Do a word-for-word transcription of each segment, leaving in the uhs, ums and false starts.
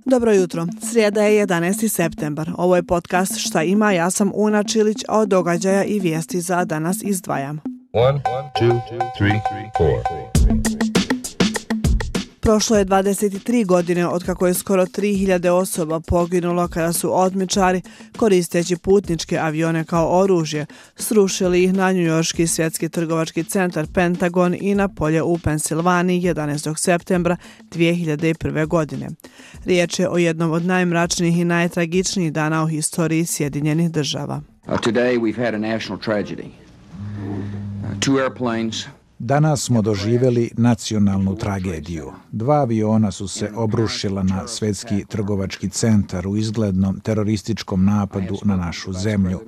Dobro jutro. Srijeda je jedanaesti septembar. Ovo je podcast Šta ima, ja sam Una Čilić, a od događaja i vijesti za danas izdvajam. One, two, three, four. Prošlo je dvadeset tri godine od kako je skoro tri hiljade osoba poginulo kada su otmičari, koristeći putničke avione kao oružje, srušili ih na njujorški svjetski trgovački centar Pentagon i na polje u Pensilvaniji jedanaestog septembra dvije hiljade prve. godine. Riječ je o jednom od najmračnijih i najtragičnijih dana u historiji Sjedinjenih država. Uh, today we've had a national tragedy. Uh, two airplanes. Danas smo doživjeli nacionalnu tragediju. Dva aviona su se obrušila na svjetski trgovački centar u izglednom terorističkom napadu na našu zemlju.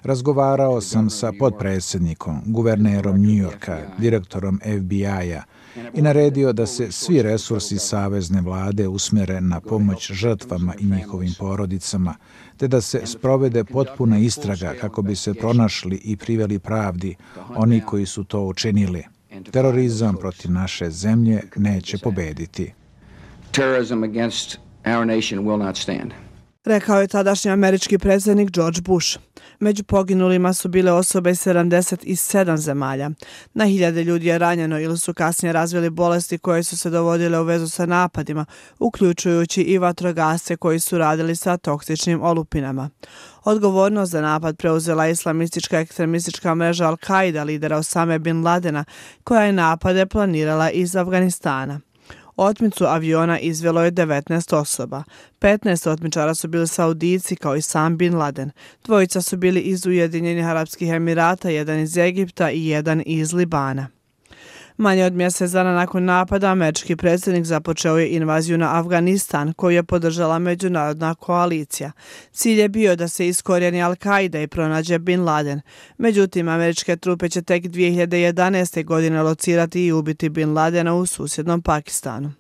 Razgovarao sam sa potpredsjednikom, guvernerom New Yorka, direktorom F B I-a i naredio da se svi resursi savezne vlade usmjere na pomoć žrtvama i njihovim porodicama, te da se sprovede potpuna istraga kako bi se pronašli i priveli pravdi oni koji su to učinili. Terorizam protiv naše zemlje neće pobediti. Terrorism against our nation will not stand. Rekao je tadašnji američki predsjednik George Bush. Među poginulima su bile osobe iz sedamdeset sedam zemalja. Na hiljade ljudi je ranjeno ili su kasnije razvili bolesti koje su se dovodile u vezu sa napadima, uključujući i vatrogasce koji su radili sa toksičnim olupinama. Odgovornost za napad preuzela islamistička ekstremistička mreža Al-Qaida, lidera Osame bin Ladena, koja je napade planirala iz Afganistana. Otmicu aviona izvelo je devetnaest osoba. petnaest otmičara su bili Saudijci kao i sam bin Laden. Dvojica su bili iz Ujedinjenih Arapskih Emirata, jedan iz Egipta i jedan iz Libana. Manje od mjesec dana nakon napada, američki predsjednik započeo je invaziju na Afganistan, koju je podržala međunarodna koalicija. Cilj je bio da se iskorijeni Al-Qaida i pronađe bin Laden. Međutim, američke trupe će tek dvije hiljade jedanaeste. godine locirati i ubiti bin Ladena u susjednom Pakistanu.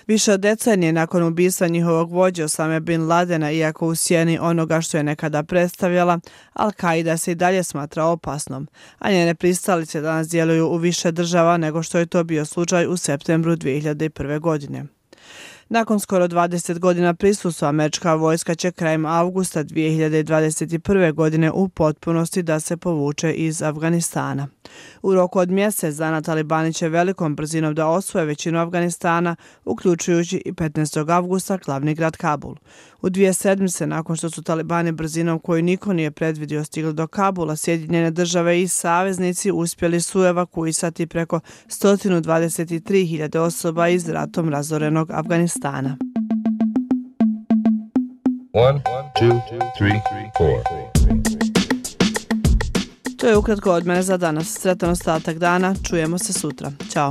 Više od decenije nakon ubistva njihovog vođe Osame bin Ladena, iako u sjeni onoga što je nekada predstavljala, Al-Qaida se i dalje smatra opasnom, a njene pristalice danas djeluju u više država nego što je to bio slučaj u septembru dvije hiljade prve. godine. Nakon skoro dvadeset godina prisustva, američka vojska će krajem avgusta dvije hiljade dvadeset prve. godine u potpunosti da se povuče iz Afganistana. U roku od mjesec dana talibani će velikom brzinom da osvoje većinu Afganistana, uključujući i petnaestog avgusta glavni grad Kabul. U dvije sedmice nakon što su talibani brzinom koju niko nije predvidio stigli do Kabula, Sjedinjene države i saveznici uspjeli su evakuisati preko sto dvadeset tri hiljade osoba iz ratom razorenog Afganistana. One, two, three, four. To je ukratko od mene za danas. Sretan ostatak dana, čujemo se sutra. Ćao.